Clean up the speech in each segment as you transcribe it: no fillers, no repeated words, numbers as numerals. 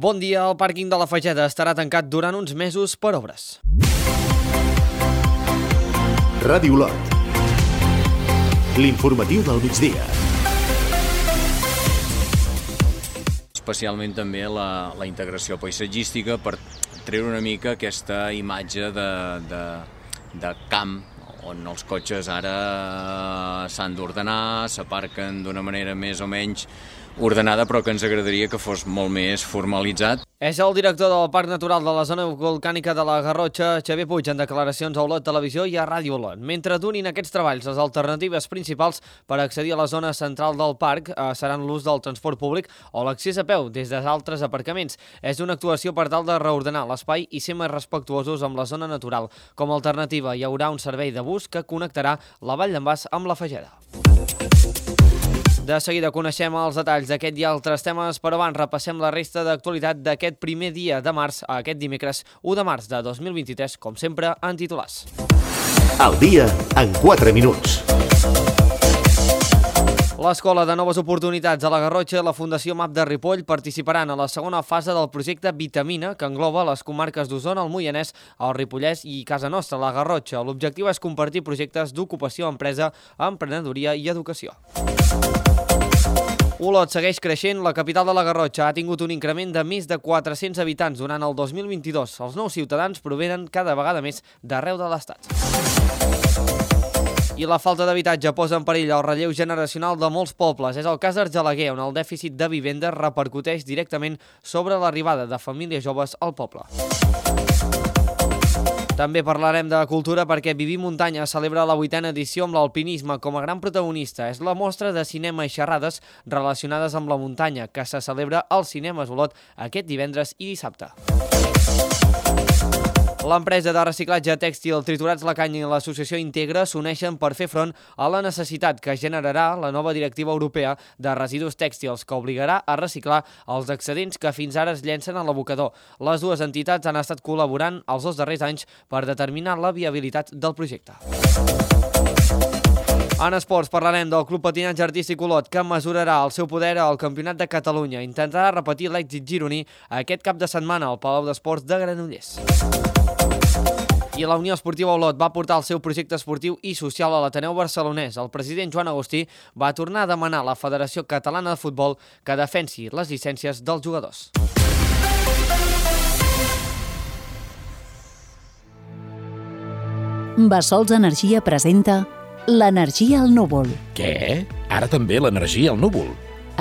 Bon dia, el pàrquing de la Fageda estarà tancat durant uns mesos per obres. Ràdio Lot. L'informatiu del migdia. Especialment també la integració paisatgística per treure una mica aquesta imatge de camp on els cotxes ara s'han d'ordenar, s'aparquen d'una manera més o menys ordenada, però que ens agradaria que fos molt més formalitzat. És el director del Parc Natural de la Zona Volcànica de la Garrotxa, Xavier Puig, en declaracions a Olot Televisió i a Ràdio Olot. Mentre durin aquests treballs, les alternatives principals per accedir a la zona central del parc seran l'ús del transport públic o l'accés a peu des d'altres aparcaments. És una actuació per tal de reordenar l'espai i ser més respectuosos amb la zona natural. Com a alternativa, hi haurà un servei de bus que connectarà la Vall d'en Bas amb la Fageda. De seguida coneixem els detalls d'aquest i altres temes, però abans repassem la resta d'actualitat d'aquest primer dia de març, aquest dimecres 1 de març de 2023, com sempre, en titulars. El dia en 4 minuts. L'Escola de Noves Oportunitats a la Garrotxa i la Fundació MAP de Ripoll participaran a la segona fase del projecte Vitamina, que engloba les comarques d'Osona, el Moianès, el Ripollès i Casa Nostra, la Garrotxa. L'objectiu és compartir projectes d'ocupació, empresa, emprenedoria i educació. Olot segueix creixent. La capital de la Garrotxa ha tingut un increment de més de 400 habitants durant el 2022. Els nous ciutadans provenen cada vegada més d'arreu de l'Estat. I la falta d'habitatge posa en perill el relleu generacional de molts pobles. És el cas d'Argelaguer, on el dèficit de vivendes repercuteix directament sobre l'arribada de famílies joves al poble. També parlarem de cultura perquè Viví Muntanya celebra la 8a edició amb l'alpinisme com a gran protagonista. És la mostra de cinema i xerrades relacionades amb la muntanya que se celebra al Cinemes Olot aquest divendres i dissabte. L'empresa de reciclatge tèxtil Triturats la Canya i l'associació Integra s'uneixen per fer front a la necessitat que generarà la nova directiva europea de residus tèxtils, que obligarà a reciclar els excedents que fins ara es llencen a l'abocador. Les dues entitats han estat col·laborant els 2 darrers anys per determinar la viabilitat del projecte. En esports parlarem del Club Patinatge Artístic Olot, que mesurarà el seu poder al Campionat de Catalunya. Intentarà repetir l'èxit gironí aquest cap de setmana al Palau d'Esports de Granollers. I la Unió Esportiva Olot va portar el seu projecte esportiu i social a l'Ateneu Barcelonès. El president Joan Agustí va tornar a demanar a la Federació Catalana de Futbol que defensi les llicències dels jugadors. Bassols Energia presenta l'energia al núvol. Què? Ara també l'energia al núvol?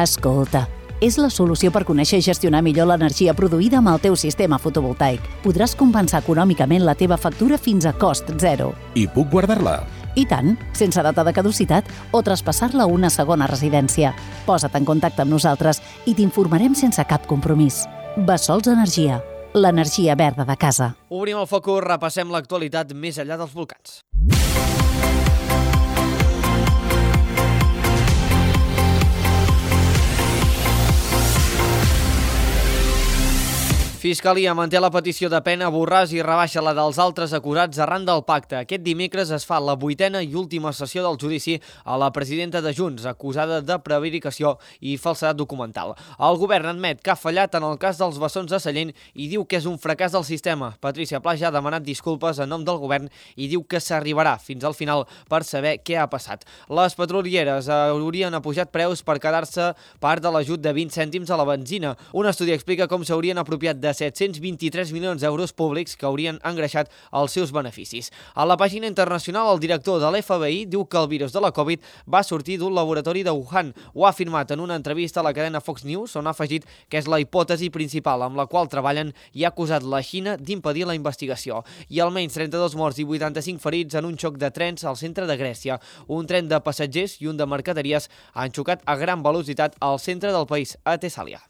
Escolta, és la solució per conèixer i gestionar millor l'energia produïda amb el teu sistema fotovoltaic. Podràs compensar econòmicament la teva factura fins a cost zero. I puc guardar-la? I tant, sense data de caducitat o traspassar-la a una segona residència. Posa't en contacte amb nosaltres i t'informarem sense cap compromís. Bassols Energia, l'energia verda de casa. Obrim el focus, repassem l'actualitat més enllà dels volcans. Fiscalia manté la petició de pena, Borràs i rebaixa la dels altres acusats arran del pacte. Aquest dimecres es fa la 8a i última sessió del judici a la presidenta de Junts, acusada de prevaricació i falsedat documental. El govern admet que ha fallat en el cas dels bessons de Sallent i diu que és un fracàs del sistema. Patricia Pla ja ha demanat disculpes en nom del govern i diu que s'arribarà fins al final per saber què ha passat. Les petrolieres haurien apujat preus per quedar-se part de l'ajut de 20 cèntims a la benzina. Un estudi explica com s'haurien apropiat de 723 milions d'euros públics que haurien engreixat els seus beneficis. A la pàgina internacional, el director de l'FBI diu que el virus de la Covid va sortir d'un laboratori de Wuhan. Ho ha afirmat en una entrevista a la cadena Fox News, on ha afegit que és la hipòtesi principal amb la qual treballen i ha acusat la Xina d'impedir la investigació. I almenys 32 morts i 85 ferits en un xoc de trens al centre de Grècia. Un tren de passatgers i un de mercaderies han xocat a gran velocitat al centre del país, a Tessàlia.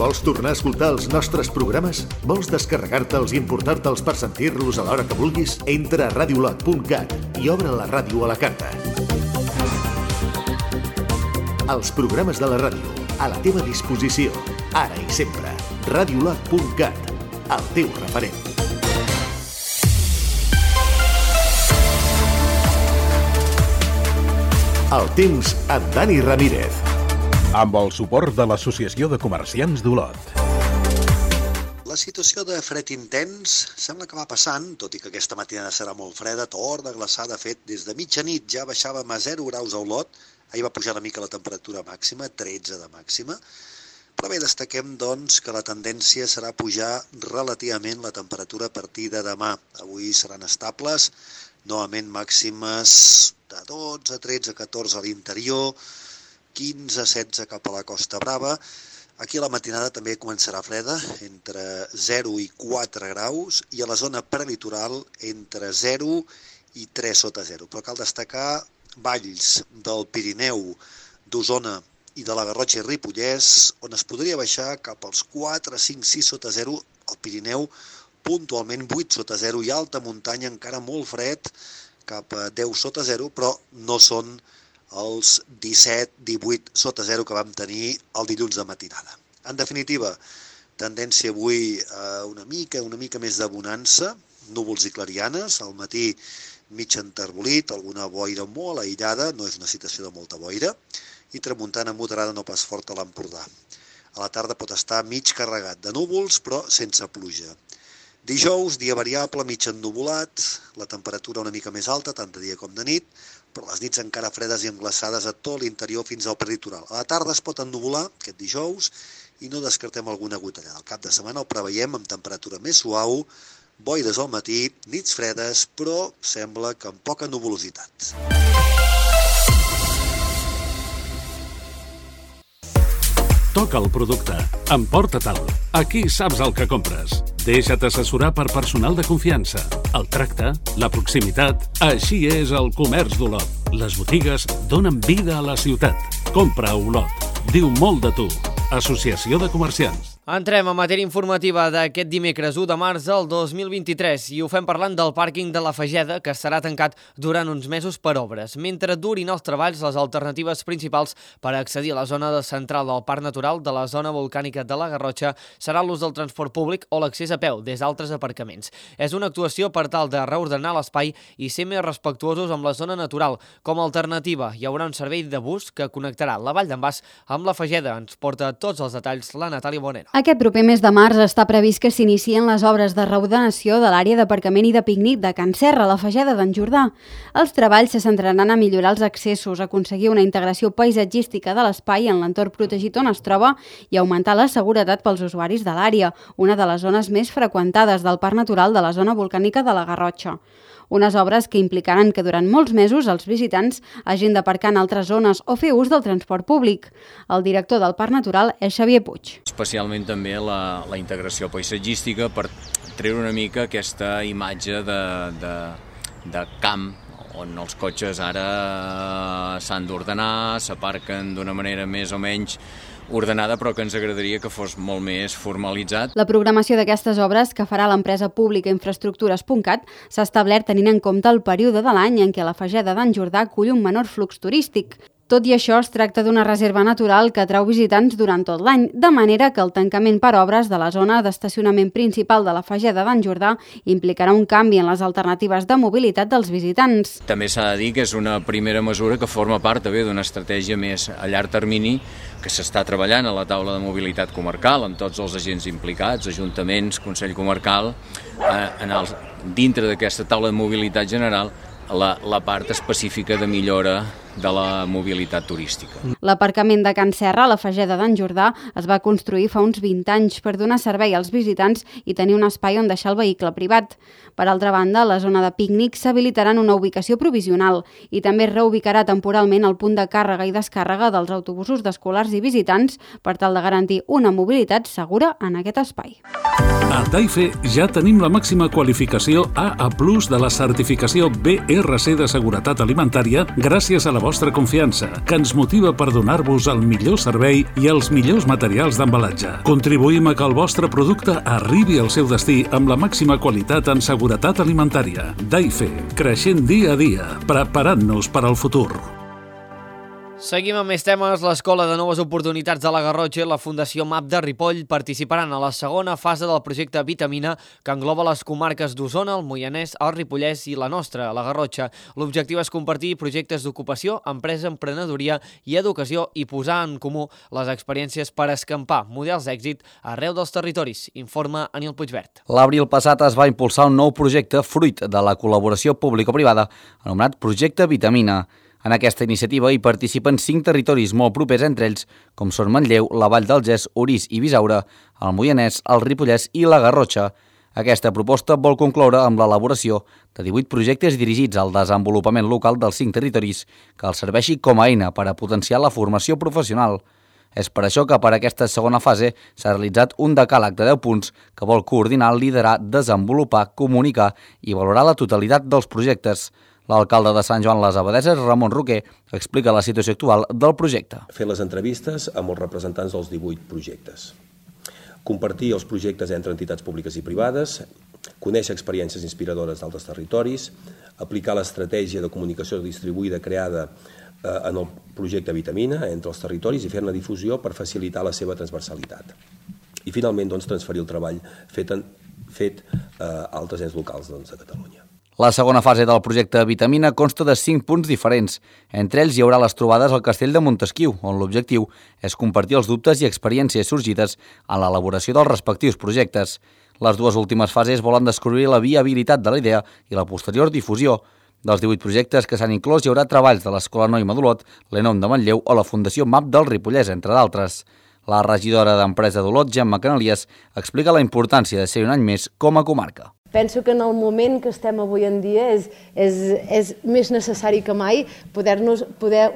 Vols tornar a escoltar els nostres programes? Vols descarregar-te'ls i importar-te'ls per sentir-los a l'hora que vulguis? Entra a radiolot.cat i obre la ràdio a la carta. Els programes de la ràdio, a la teva disposició, ara i sempre. Radiolot.cat, el teu referent. El temps amb Dani Ramírez. Amb el suport de l'Associació de Comerciants d'Olot. La situació de fred intens sembla que va passant, tot i que aquesta matinada serà molt freda, torna a glaçar. De fet, des de mitjanit ja baixàvem a 0 graus a Olot. Ahir va pujar una mica la temperatura màxima, 13 de màxima. Però bé, destaquem doncs que la tendència serà pujar relativament la temperatura a partir de demà. Avui seran estables, novament màximes de 12, 13, 14 a l'interior, 15, 16 cap a la Costa Brava. Aquí a la matinada també començarà freda, entre 0 i 4 graus, i a la zona prelitoral entre 0 i 3 sota 0. Però cal destacar valls del Pirineu, d'Osona i de la Garrotxa i Ripollès, on es podria baixar cap als 4, 5, 6 sota 0, al Pirineu puntualment 8 sota 0, i alta muntanya encara molt fred, cap a 10 sota 0, però no són els 17, 18 sota 0 que vam tenir el dilluns de matinada. En definitiva, tendència avui una mica més de bonança, núvols i clarianes, al matí mig enterbolit, alguna boira molt aïllada, no és una situació de molta boira, i tramuntana moderada no pas forta a l'Empordà. A la tarda pot estar mig carregat de núvols, però sense pluja. Dijous, dia variable, mig ennuvolat, la temperatura una mica més alta, tant de dia com de nit, però les nits encara fredes i englaçades a tot l'interior fins al prelitoral. A la tarda es pot ennuvolar, aquest dijous, i no descartem alguna gotellada. Al cap de setmana el preveiem amb temperatura més suau, boires al matí, nits fredes, però sembla que amb poca nuvolositat. Toca el producte. Emporta-te'l. Aquí saps el que compres. Deixa't assessorar per personal de confiança. El tracte, la proximitat... Així és el comerç d'Olot. Les botigues donen vida a la ciutat. Compra a Olot. Diu molt de tu. Associació de Comerciants. Entrem a matèria informativa d'aquest dimecres 1 de març del 2023 i ho fem parlant del pàrquing de la Fageda, que estarà tancat durant uns mesos per obres. Mentre durin els treballs, les alternatives principals per accedir a la zona central del Parc Natural de la zona volcànica de la Garrotxa serà l'ús del transport públic o l'accés a peu des d'altres aparcaments. És una actuació per tal de reordenar l'espai i ser més respectuosos amb la zona natural. Com a alternativa, hi haurà un servei de bus que connectarà la Vall d'en Bas amb la Fageda. Ens porta tots els detalls la Natàlia Bonera. Aquest proper mes de març està previst que s'inicien les obres de reordenació de l'àrea d'aparcament i de pícnic de Can Serra, a la Fageda d'en Jordà. Els treballs se centraran a millorar els accessos, aconseguir una integració paisatgística de l'espai en l'entorn protegit on es troba i augmentar la seguretat pels usuaris de l'àrea, una de les zones més freqüentades del Parc Natural de la zona volcànica de la Garrotxa. Unes obres que implicaran que durant molts mesos els visitants hagin d'aparcar en altres zones o fer ús del transport públic. El director del Parc Natural és Xavier Puig. Especialment també la integració paisatgística per treure una mica aquesta imatge de camp on els cotxes ara s'han d'ordenar, s'aparquen d'una manera més o menys ordenada, però que ens agradaria que fos molt més formalitzat. La programació d'aquestes obres que farà l'empresa pública Infraestructures.cat s'ha establert tenint en compte el període de l'any en què la Fageda d'en Jordà acull un menor flux turístic. Tot i això, es tracta d'una reserva natural que atrau visitants durant tot l'any, de manera que el tancament per obres de la zona d'estacionament principal de la Fageda d'en Jordà implicarà un canvi en les alternatives de mobilitat dels visitants. També s'ha de dir que és una primera mesura que forma part també d'una estratègia més a llarg termini que s'està treballant a la taula de mobilitat comarcal amb tots els agents implicats, ajuntaments, Consell Comarcal, dintre d'aquesta taula de mobilitat general, la part específica de millora de la mobilitat turística. L'aparcament de Can Serra, a la Fageda d'en Jordà, es va construir fa uns 20 anys per donar servei als visitants i tenir un espai on deixar el vehicle privat. Per altra banda, la zona de pícnic s'habilitarà en una ubicació provisional i també es reubicarà temporalment el punt de càrrega i descàrrega dels autobusos d'escolars i visitants per tal de garantir una mobilitat segura en aquest espai. A Taife ja tenim la màxima qualificació AA+ de la certificació BRC de Seguretat Alimentària gràcies a la vostra confiança, que ens motiva per donar-vos el millor servei i els millors materials d'embalatge. Contribuïm a que el vostre producte arribi al seu destí amb la màxima qualitat en seguretat alimentària. Taife, creixent dia a dia, preparant-nos per al futur. Seguim amb més temes. L'Escola de Noves Oportunitats de la Garrotxa i la Fundació MAP de Ripoll participaran a la segona fase del projecte Vitamina, que engloba les comarques d'Osona, el Moianès, el Ripollès i la nostra, la Garrotxa. L'objectiu és compartir projectes d'ocupació, empresa, emprenedoria i educació i posar en comú les experiències per escampar models d'èxit arreu dels territoris, informa Anil Puigvert. L'abril passat es va impulsar un nou projecte fruit de la col·laboració público-privada anomenat Projecte Vitamina. En aquesta iniciativa hi participen 5 territoris molt propers entre ells, com són Manlleu, la Vall d'Algès, Orís i Bisaure, el Moianès, el Ripollès i la Garrotxa. Aquesta proposta vol concloure amb l'elaboració de 18 projectes dirigits al desenvolupament local dels 5 territoris, que els serveixi com a eina per a potenciar la formació professional. És per això que per aquesta segona fase s'ha realitzat un decàleg de 10 punts que vol coordinar, liderar, desenvolupar, comunicar i valorar la totalitat dels projectes. L'alcalde de Sant Joan les Abadesses, Ramon Roquer, explica la situació actual del projecte. Fer les entrevistes amb els representants dels 18 projectes. Compartir els projectes entre entitats públiques i privades, conèixer experiències inspiradores d'altres territoris, aplicar l'estratègia de comunicació distribuïda creada en el projecte Vitamina entre els territoris i fer-ne difusió per facilitar la seva transversalitat. I finalment transferir el treball fet a altres ens locals de Catalunya. La segona fase del projecte Vitamina consta de 5 punts diferents. Entre ells hi haurà les trobades al Castell de Montesquiu, on l'objectiu és compartir els dubtes i experiències sorgides en l'elaboració dels respectius projectes. Les dues últimes fases volen descobrir la viabilitat de la idea i la posterior difusió. Dels 18 projectes que s'han inclòs hi haurà treballs de l'Escola Noima d'Olot, l'ENOM de Manlleu o la Fundació MAP del Ripollès, entre d'altres. La regidora d'Empresa d'Olot, Gemma Canalies, explica la importància de ser un any més com a comarca. Penso que en el moment que estem avui en dia és més necessari que mai poder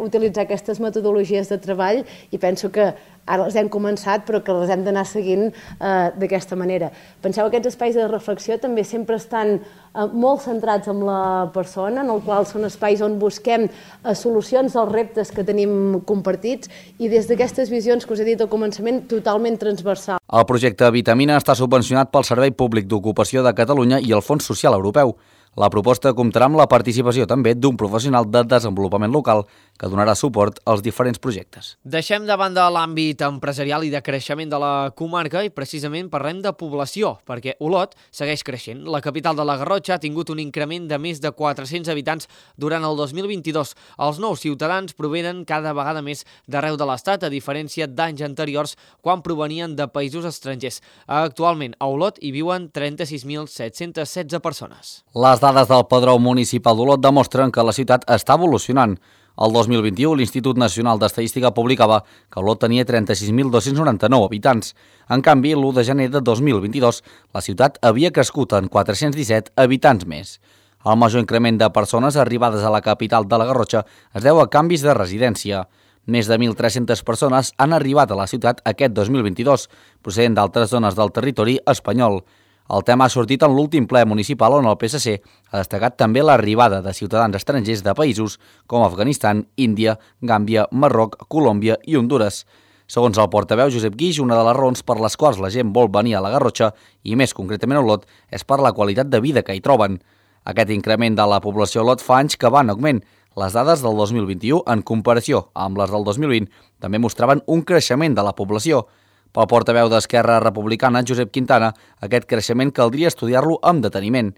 utilitzar aquestes metodologies de treball i penso que ara les hem començat però que les hem d'anar seguint d'aquesta manera. Penseu que aquests espais de reflexió també sempre estan molt centrats en la persona, en el qual són espais on busquem solucions als reptes que tenim compartits i des d'aquestes visions que us he dit al començament totalment transversal. El projecte Vitamina està subvencionat pel Servei Públic d'Ocupació de Catalunya i el Fons Social Europeu. La proposta comptarà amb la participació també d'un professional de desenvolupament local que donarà suport als diferents projectes. Deixem de banda l'àmbit empresarial i de creixement de la comarca i precisament parlem de població, perquè Olot segueix creixent. La capital de la Garrotxa ha tingut un increment de més de 400 habitants durant el 2022. Els nous ciutadans provenen cada vegada més d'arreu de l'Estat, a diferència d'anys anteriors quan provenien de països estrangers. Actualment a Olot hi viuen 36.716 persones. Les dades del Padró Municipal d'Olot demostren que la ciutat està evolucionant. El 2021, l'Institut Nacional d'Estadística publicava que Olot tenia 36.299 habitants. En canvi, l'1 de gener de 2022, la ciutat havia crescut en 417 habitants més. El major increment de persones arribades a la capital de la Garrotxa es deu a canvis de residència. Més de 1.300 persones han arribat a la ciutat aquest 2022, procedent d'altres zones del territori espanyol. El tema ha sortit en l'últim ple municipal on el PSC ha destacat també l'arribada de ciutadans estrangers de països com Afganistan, Índia, Gàmbia, Marroc, Colòmbia i Hondures. Segons el portaveu Josep Guix, una de les raons per les quals la gent vol venir a la Garrotxa, i més concretament a Olot, és per la qualitat de vida que hi troben. Aquest increment de la població a Olot fa anys que va en augment. Les dades del 2021, en comparació amb les del 2020, també mostraven un creixement de la població. Pel portaveu d'Esquerra Republicana, Josep Quintana, aquest creixement caldria estudiar-lo amb deteniment.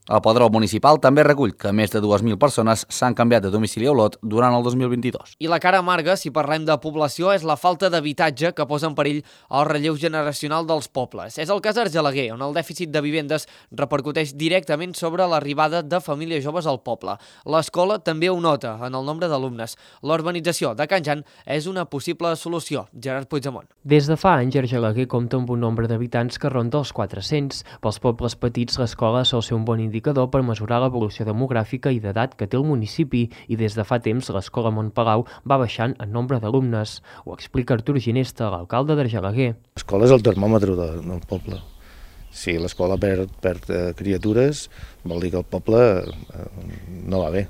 El Padró Municipal també recull que més de 2.000 persones s'han canviat de domicili a Olot durant el 2022. I la cara amarga, si parlem de població, és la falta d'habitatge que posa en perill el relleu generacional dels pobles. És el cas d'Argelaguer, on el dèficit de vivendes repercuteix directament sobre l'arribada de famílies joves al poble. L'escola també ho nota en el nombre d'alumnes. L'urbanització de Can Jan és una possible solució. Gerard Puigdemont. Des de fa anys, Argelaguer compta amb un nombre d'habitants que ronda els 400. Pels pobles petits, l'escola sol ser un bon indicador per mesurar l'evolució demogràfica i d'edat que té el municipi i des de fa temps l'escola Montpalau va baixant en nombre d'alumnes. Ho explica Artur Ginesta, l'alcalde d'Argelaguer. L'escola és el termòmetre del poble. Si l'escola perd criatures, vol dir que el poble no va bé.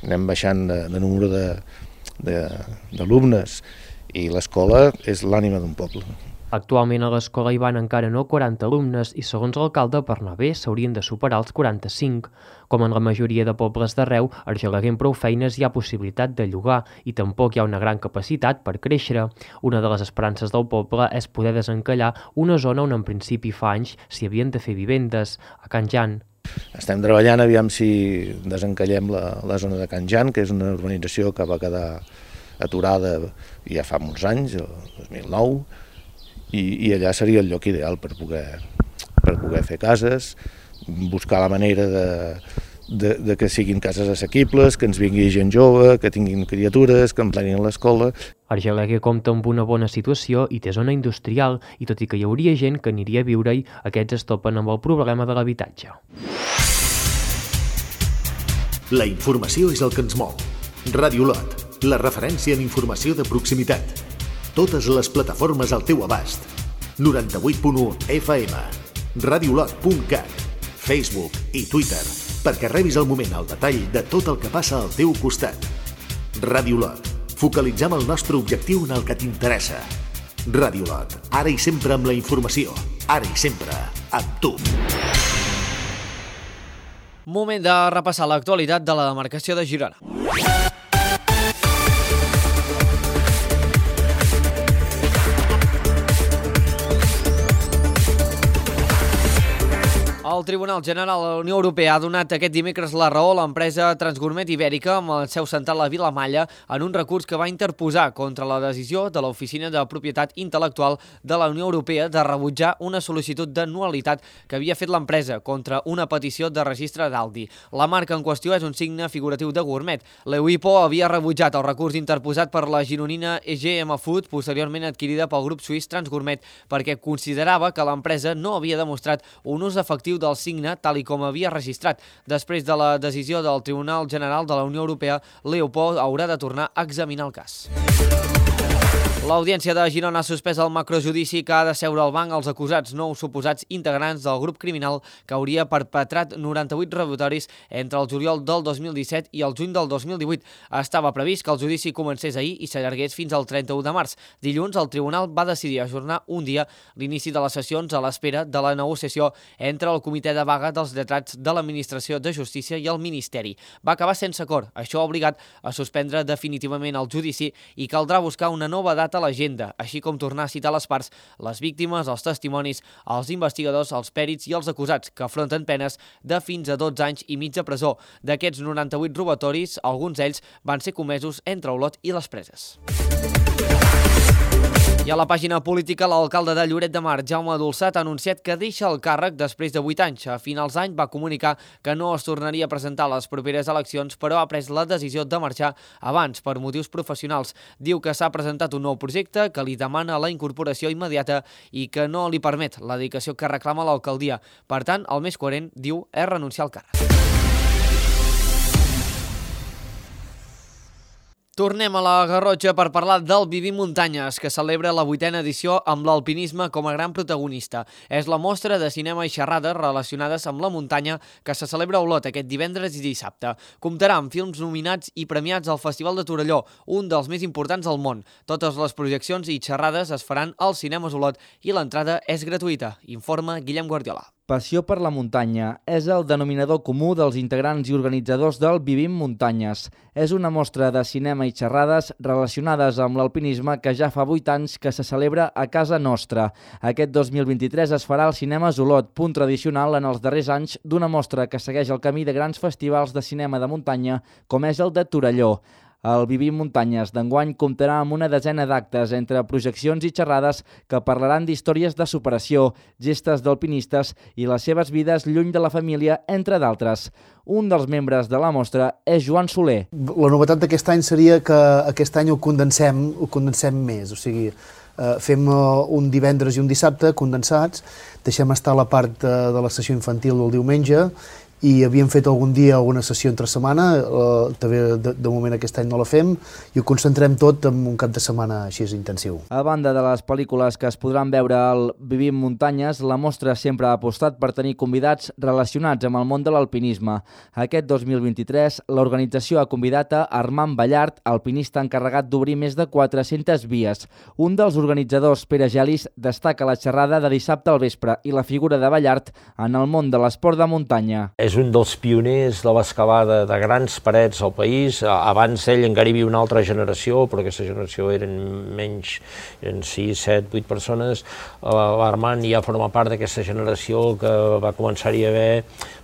Anem baixant de número d'alumnes i l'escola és l'ànima d'un poble. Actualment a l'escola hi van encara no 40 alumnes i, segons l'alcalde, per anar bé s'haurien de superar els 45. Com en la majoria de pobles d'arreu, a Argelaguer amb prou feines hi ha possibilitat de llogar i tampoc hi ha una gran capacitat per créixer. Una de les esperances del poble és poder desencallar una zona on en principi fa anys s'hi havien de fer vivendes, a Can Jan. Estem treballant, aviam si desencallem la zona de Can Jan, que és una urbanització que va quedar aturada ja fa molts anys, el 2009, i allà seria el lloc ideal per poder fer cases, buscar la manera de que siguin cases assequibles, que ens vingui gent jove, que tinguin criatures, que emplenin l'escola. Argelaguer compta amb una bona situació i té zona industrial, i tot i que hi hauria gent que aniria a viure-hi, aquests es topen amb el problema de l'habitatge. La informació és el que ens mou. Ràdio Lot, la referència en informació de proximitat. Totes les plataformes al teu abast. 98.1 FM, radiolot.cat, Facebook i Twitter, perquè rebis al moment el detall de tot el que passa al teu costat. Ràdio Lot, focalitzem el nostre objectiu en el que t'interessa. Ràdio Lot, ara i sempre amb la informació, ara i sempre amb tu. Moment de repassar l'actualitat de la demarcació de Girona. El Tribunal General de la Unió Europea ha donat aquest dimecres la raó a l'empresa Transgourmet Ibèrica amb el seu central a Vilamalla en un recurs que va interposar contra la decisió de l'Oficina de Propietat Intel·lectual de la Unió Europea de rebutjar una sol·licitud de nul·litat que havia fet l'empresa contra una petició de registre d'Aldi. La marca en qüestió és un signe figuratiu de gourmet. L'EUIPO havia rebutjat el recurs interposat per la gironina EGM Food, posteriorment adquirida pel grup suís Transgourmet, perquè considerava que l'empresa no havia demostrat un ús efectiu del signe tal i com havia registrat. Després de la decisió del Tribunal General de la Unió Europea, l'EUPO haurà de tornar a examinar el cas. L'Audiència de Girona ha suspès el macrojudici que ha de seure al banc els acusats nous suposats integrants del grup criminal que hauria perpetrat 98 robatoris entre el juliol del 2017 i el juny del 2018. Estava previst que el judici comencés ahir i s'allargués fins al 31 de març. Dilluns, el tribunal va decidir ajornar un dia l'inici de les sessions a l'espera de la negociació entre el Comitè de Vaga dels Lletrats de l'Administració de Justícia i el Ministeri. Va acabar sense acord. Això ha obligat a suspendre definitivament el judici i caldrà buscar una nova data a l'agenda, així com tornar a citar les parts, les víctimes, els testimonis, els investigadors, els pèrits i els acusats, que afronten penes de fins a 12 anys i mig de presó. D'aquests 98 robatoris, alguns d'ells van ser comesos entre Olot i les Preses. I a la pàgina política, l'alcalde de Lloret de Mar, Jaume Dolçat, ha anunciat que deixa el càrrec després de 8 anys. A finals d'any va comunicar que no es tornaria a presentar a les properes eleccions, però ha pres la decisió de marxar abans per motius professionals. Diu que s'ha presentat un nou projecte que li demana la incorporació immediata i que no li permet la dedicació que reclama l'alcaldia. Per tant, el més coherent, diu, és renunciar al càrrec. Tornem a la Garrotxa per parlar del Vivim Muntanyes, que celebra la 8a edició amb l'alpinisme com a gran protagonista. És la mostra de cinema i xerrades relacionades amb la muntanya que se celebra a Olot aquest divendres i dissabte. Comptarà amb films nominats i premiats al Festival de Torelló, un dels més importants del món. Totes les projeccions i xerrades es faran als cinemes Olot i l'entrada és gratuïta, informa Guillem Guardiola. Passió per la muntanya és el denominador comú dels integrants i organitzadors del Vivim Muntanyes. És una mostra de cinema i xerrades relacionades amb l'alpinisme que ja fa 8 anys que se celebra a casa nostra. Aquest 2023 es farà al Cinemes Olot, punt tradicional en els darrers anys d'una mostra que segueix el camí de grans festivals de cinema de muntanya com és el de Torelló. El Vivim Muntanyes d'enguany comptarà amb una desena d'actes entre projeccions i xerrades que parlaran d'històries de superació, gestes d'alpinistes i les seves vides lluny de la família, entre d'altres. Un dels membres de la mostra és Joan Soler. La novetat d'aquest any seria que aquest any ho condensem més, o sigui, fem un divendres i un dissabte condensats, deixem estar la part de la sessió infantil del diumenge i havíem fet algun dia alguna sessió entre setmana, també de moment aquest any no la fem, i ho concentrem tot en un cap de setmana així intensiu. A banda de les pel·lícules que es podran veure al Vivim Muntanyes, la mostra sempre ha apostat per tenir convidats relacionats amb el món de l'alpinisme. Aquest 2023, l'organització ha convidat a Armand Ballart, alpinista encarregat d'obrir més de 400 vies. Un dels organitzadors, Pere Gelis, destaca la xerrada de dissabte al vespre i la figura de Ballart en el món de l'esport de muntanya. És un dels pioners de l'excavada de grans parets al país. Abans ell encara hi havia una altra generació, però aquesta generació eren menys, eren 6, 7, 8 persones. L'Armand ja forma part d'aquesta generació que va començar-hi a haver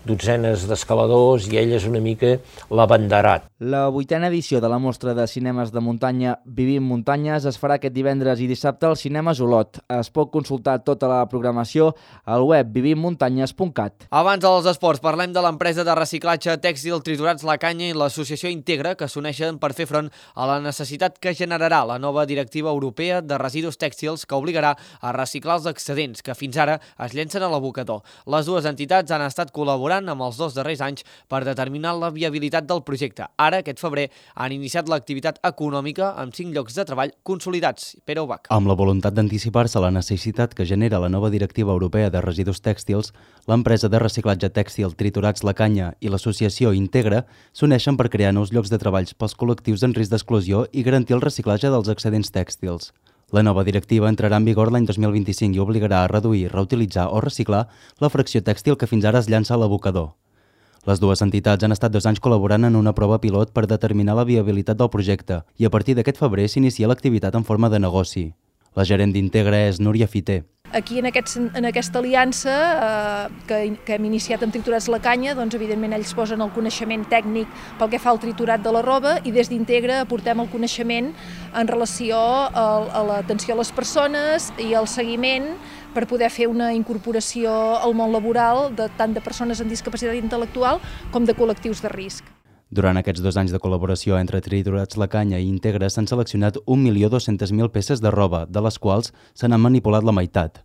dotzenes d'escaladors i ell és una mica l'abanderat. La 8a edició de la mostra de cinemes de muntanya Vivim Muntanyes es farà aquest divendres i dissabte al Cinemes Olot. Es pot consultar tota la programació al web vivimmuntanyes.cat. Abans dels esports, parlem de l'empresa de reciclatge tèxtil Triturats La Canya i l'associació Integra, que s'uneixen per fer front a la necessitat que generarà la nova directiva europea de residus tèxtils que obligarà a reciclar els excedents que fins ara es llencen a l'abocador. Les dues entitats han estat col·laborant amb els 2 darrers anys per determinar la viabilitat del projecte. Ara, aquest febrer, han iniciat l'activitat econòmica amb 5 llocs de treball consolidats. Pere Ubach. Amb la voluntat d'anticipar-se a la necessitat que genera la nova directiva europea de residus tèxtils, l'empresa de reciclatge tèxtil Triturats La Canya i l'associació Integra s'uneixen per crear nous llocs de treballs pels col·lectius en risc d'exclusió i garantir el reciclatge dels excedents tèxtils. La nova directiva entrarà en vigor l'any 2025 i obligarà a reduir, reutilitzar o reciclar la fracció tèxtil que fins ara es llança a l'abocador. Les dues entitats han estat 2 anys col·laborant en una prova pilot per determinar la viabilitat del projecte i a partir d'aquest febrer s'inicia l'activitat en forma de negoci. La gerent d'Integra és Núria Fiter. Aquí en aquesta aliança que hem iniciat amb Triturats La Canya, doncs evidentment ells posen el coneixement tècnic pel que fa al triturat de la roba i des d'Integra aportem el coneixement en relació a l'atenció a les persones i al seguiment per poder fer una incorporació al món laboral tant de persones amb discapacitat intel·lectual com de col·lectius de risc. Durant aquests 2 anys de col·laboració entre Triturats La Canya i Integra s'han seleccionat 1.200.000 peces de roba, de les quals se n'han manipulat la meitat.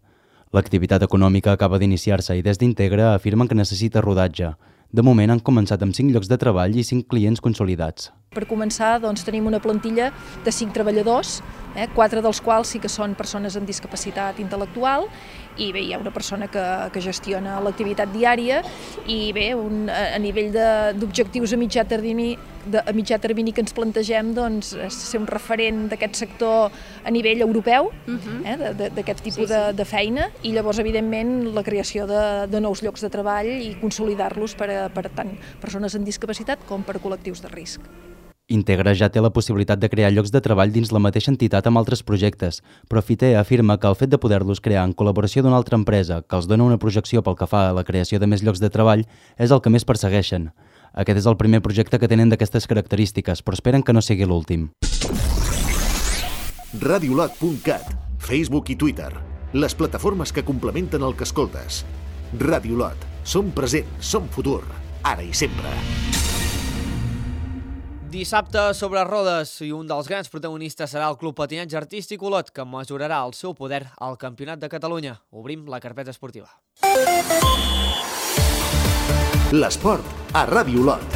L'activitat econòmica acaba d'iniciar-se i des d'Integra afirmen que necessita rodatge. De moment han començat amb 5 llocs de treball i 5 clients consolidats. Per començar, doncs, tenim una plantilla de 5 treballadors, 4 dels quals sí que són persones amb discapacitat intel·lectual i bé, hi ha una persona que gestiona l'activitat diària i bé, a nivell d'objectius a mitjà termini que ens plantegem doncs, és ser un referent d'aquest sector a nivell europeu, d'aquest tipus de feina i llavors evidentment la creació de nous llocs de treball i consolidar-los per tant persones amb discapacitat com per col·lectius de risc. Integra ja té la possibilitat de crear llocs de treball dins la mateixa entitat amb altres projectes, però Fiter afirma que el fet de poder-los crear en col·laboració d'una altra empresa que els dona una projecció pel que fa a la creació de més llocs de treball és el que més persegueixen. Aquest és el primer projecte que tenen d'aquestes característiques, però esperen que no sigui l'últim. Radiolot.cat, Facebook i Twitter, les plataformes que complementen el que escoltes. Radiolot, som present, som futur, ara i sempre. Dissabte sobre rodes i un dels grans protagonistes serà el Club Patinatge Artístic Olot, que mesurarà el seu poder al Campionat de Catalunya. Obrim la carpeta esportiva. L'esport a Ràdio Olot.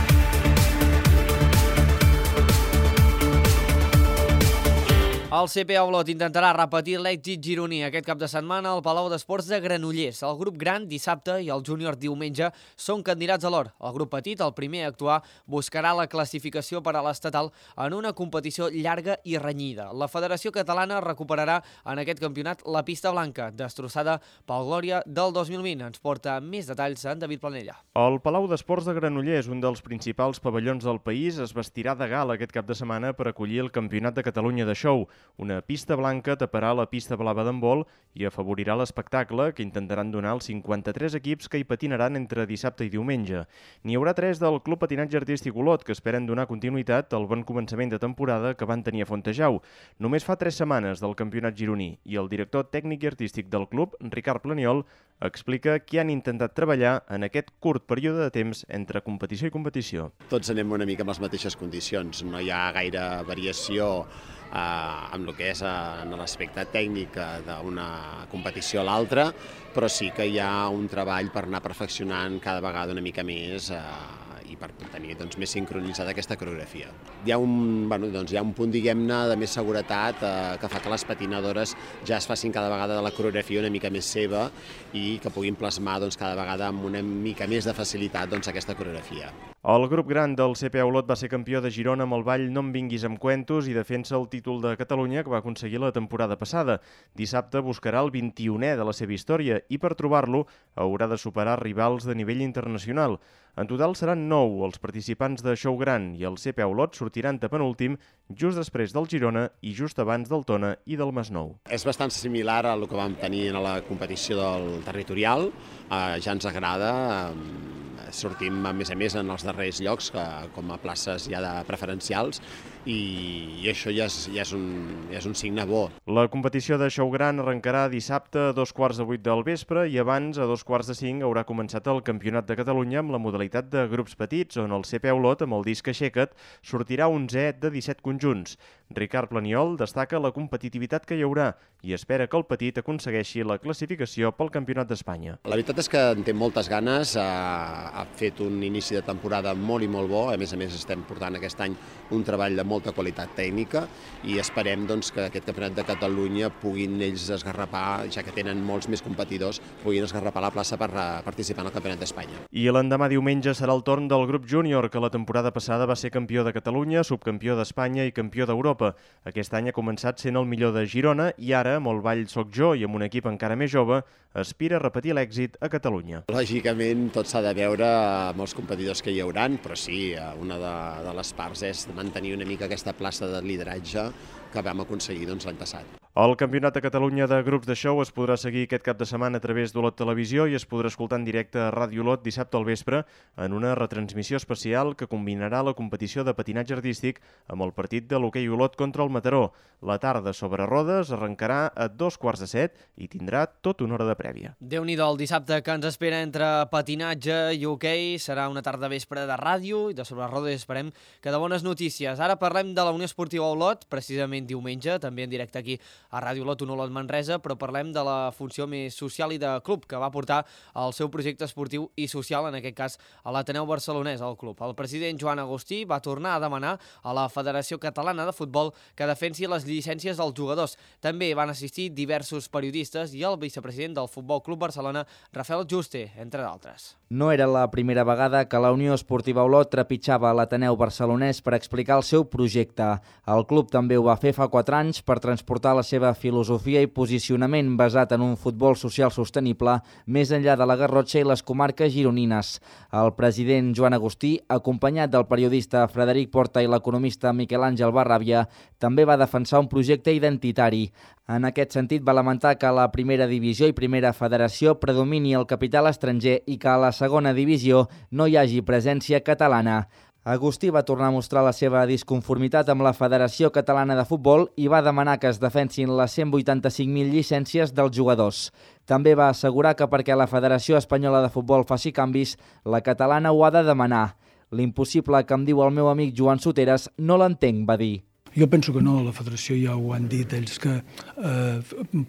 El CPA Olot intentarà repetir l'èxit gironí aquest cap de setmana al Palau d'Esports de Granollers. El grup gran dissabte i el júnior diumenge són candidats a l'or. El grup petit, el primer a actuar, buscarà la classificació per a l'estatal en una competició llarga i renyida. La Federació Catalana recuperarà en aquest campionat la pista blanca, destrossada pel Glòria del 2020. Ens porta més detalls en David Planella. El Palau d'Esports de Granollers, un dels principals pavellons del país, es vestirà de gala aquest cap de setmana per acollir el Campionat de Catalunya de Show. Una pista blanca taparà la pista blava d'handbol i afavorirà l'espectacle que intentaran donar els 53 equips que hi patinaran entre dissabte i diumenge. N'hi haurà 3 del Club Patinatge Artístic Olot que esperen donar continuïtat al bon començament de temporada que van tenir a Fontejau. Només fa 3 setmanes del campionat gironí i el director tècnic i artístic del club, Ricard Planiol, explica que han intentat treballar en aquest curt període de temps entre competició i competició. Tots anem una mica amb les mateixes condicions, no hi ha gaire variació amb el que és en l'aspecte tècnic d'una competició a l'altra, però sí que hi ha un treball per anar perfeccionant cada vegada una mica més i per tenir més sincronitzada aquesta coreografia. Hi ha un punt, diguem-ne, de més seguretat que fa que les patinadores ja es facin cada vegada de la coreografia una mica més seva i que puguin plasmar cada vegada amb una mica més de facilitat aquesta coreografia. El grup gran del CPA Olot va ser campió de Girona amb el ball No em vinguis amb cuentos i defensa el títol de Catalunya que va aconseguir la temporada passada. Dissabte buscarà el 21è de la seva història i per trobar-lo haurà de superar rivals de nivell internacional. En total seran 9 els participants de Show Gran i el CPA Olot sortiran de penúltim just després del Girona i just abans del Tona i del Masnou. És bastant similar a el que vam tenir a la competició del territorial, ja ens agrada, sortim a més en els darrers llocs com a places ja de preferencials i això ja és un signe bo. La competició de Show Gran arrencarà dissabte a 7:15 del vespre i abans, a 4:45, haurà començat el Campionat de Catalunya amb la modalitat de grups petits, on el CPA Olot, amb el disc Aixeca't, sortirà 11è de 17 conjunts. Ricard Planiol destaca la competitivitat que hi haurà i espera que el petit aconsegueixi la classificació pel Campionat d'Espanya. La veritat és que en té moltes ganes, ha fet un inici de temporada molt i molt bo, a més estem portant aquest any un treball de molta qualitat tècnica i esperem que aquest Campionat de Catalunya puguin ells esgarrapar, ja que tenen molts més competidors, puguin esgarrapar la plaça per participar en el Campionat d'Espanya. I l'endemà diumenge serà el torn del grup júnior, que la temporada passada va ser campió de Catalunya, subcampió d'Espanya i campió d'Europa. Aquest any ha començat sent el millor de Girona i ara, amb el Ball Soc Jo i amb un equip encara més jove, aspira a repetir l'èxit a Catalunya. Lògicament, tot s'ha de veure amb els competidors que hi hauran, però sí, una de les parts és mantenir una mica aquesta plaça de lideratge que vam aconseguir l'any passat. El Campionat de Catalunya de grups de show es podrà seguir aquest cap de setmana a través d'Olot Televisió i es podrà escoltar en directe a Ràdio Olot dissabte al vespre en una retransmissió especial que combinarà la competició de patinatge artístic amb el partit de l'hoquei Olot contra el Mataró. La tarda sobre rodes arrencarà a 7:15 i tindrà tota una hora de prèvia. Déu-n'hi-do el dissabte que ens espera entre patinatge i hoquei. Serà una tarda vespre de ràdio i de sobre rodes esperem que de bones notícies. Ara parlem de la Unió Esportiva Olot, precisament diumenge, també en directe aquí a Ràdio Olot, un Olot Manresa, però parlem de la funció més social i de club que va portar el seu projecte esportiu i social, en aquest cas a l'Ateneu Barcelonès, al club. El president Joan Agustí va tornar a demanar a la Federació Catalana de Futbol que defensi les llicències dels jugadors. També van assistir diversos periodistes i el vicepresident del Futbol Club Barcelona, Rafael Juste, entre d'altres. No era la primera vegada que la Unió Esportiva Olot trepitjava l'Ateneu Barcelonès per explicar el seu projecte. El club també ho va fer fa 4 anys per transportar la seva filosofia i posicionament basat en un futbol social sostenible més enllà de la Garrotxa i les comarques gironines. El president Joan Agustí, acompanyat del periodista Frederic Porta i l'economista Miquel Àngel Barràbia, també va defensar un projecte identitari. En aquest sentit, va lamentar que a la primera divisió i primera federació predomini el capital estranger i que a la segona divisió no hi hagi presència catalana. Agustí va tornar a mostrar la seva disconformitat amb la Federació Catalana de Futbol i va demanar que es defensin les 185.000 llicències dels jugadors. També va assegurar que perquè la Federació Espanyola de Futbol faci canvis, la catalana ho ha de demanar. L'impossible que em diu el meu amic Joan Soteres no l'entenc, va dir. Jo penso que no, la federació ja ho han dit ells, que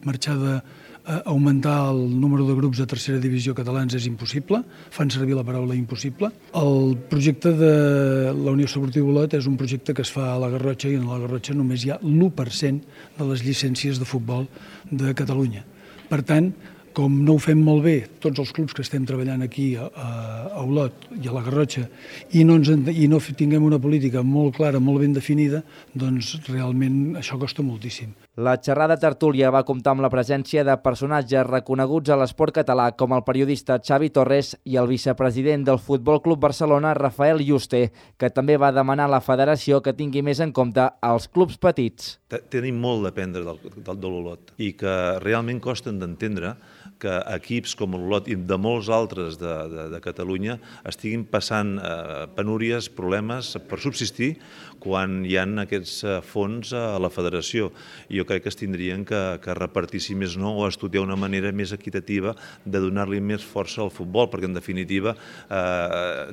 marxar d'augmentar el número de grups de tercera divisió catalans és impossible, fan servir la paraula impossible. El projecte de la Unió Esportiva Olot és un projecte que es fa a la Garrotxa i en la Garrotxa només hi ha l'1% de les llicències de futbol de Catalunya. Per tant, com no ho fem molt bé, tots els clubs que estem treballant aquí a Olot i a la Garrotxa, i no tinguem una política molt clara, molt ben definida, doncs realment això costa moltíssim. La xerrada tertúlia va comptar amb la presència de personatges reconeguts a l'esport català com el periodista Xavi Torres i el vicepresident del Futbol Club Barcelona, Rafael Juste, que també va demanar a la federació que tingui més en compte els clubs petits. Tenim molt d'aprendre de l'Olot i que realment costen d'entendre que equips com l'Olot i de molts altres de Catalunya estiguin passant penúries, problemes per subsistir quan hi ha aquests fons a la federació. Jo crec que es tindrien que repartir, si més no, o estudiar una manera més equitativa de donar-li més força al futbol, perquè en definitiva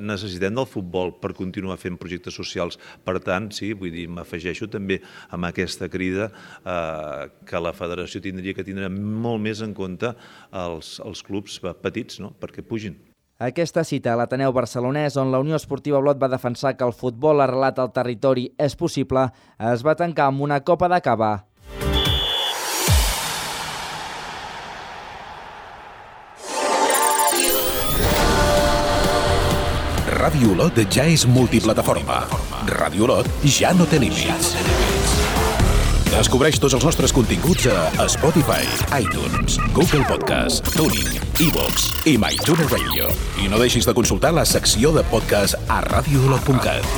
necessitem del futbol per continuar fent projectes socials. Per tant, sí, vull dir, m'afegeixo també amb aquesta crida que la federació tindria que tindre molt més en compte els clubs petits, no?, perquè pugin. Aquesta cita a l'Ateneu barcelonès, on la Unió Esportiva Olot va defensar que el futbol arrelat al territori és possible, es va tancar amb una copa de cava. Ràdio Olot ja és multiplataforma. Ràdio Olot ja no té límits. Descobreix tots els nostres continguts a Spotify, iTunes, Google Podcast, TuneIn, iVoox i MyTuner Radio. I no deixis de consultar la secció de podcast a radioolot.cat.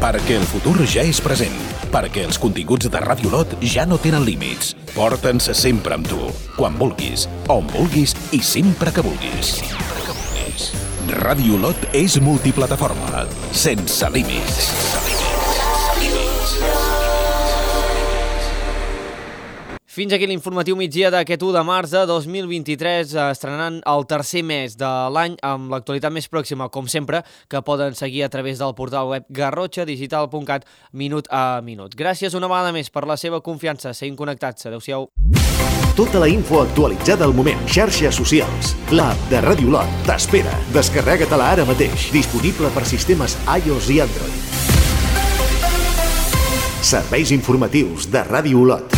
Perquè el futur ja és present. Perquè els continguts de Ràdio Olot ja no tenen límits. Porta'ns sempre amb tu, quan vulguis, on vulguis i sempre que vulguis. Ràdio Olot és multiplataforma, sense límits. Fins aquí l'informatiu migdia d'aquest 1 de març de 2023, estrenant el tercer mes de l'any amb l'actualitat més pròxima, com sempre, que poden seguir a través del portal web garrotxadigital.cat minut a minut. Gràcies una vegada més per la seva confiança. Seguim connectats. Adéu-siau. Tota la info actualitzada al moment. Xarxes socials. L'app de Ràdio Olot t'espera. Descarrega-te-la ara mateix. Disponible per sistemes iOS i Android. Serveis informatius de Ràdio Olot.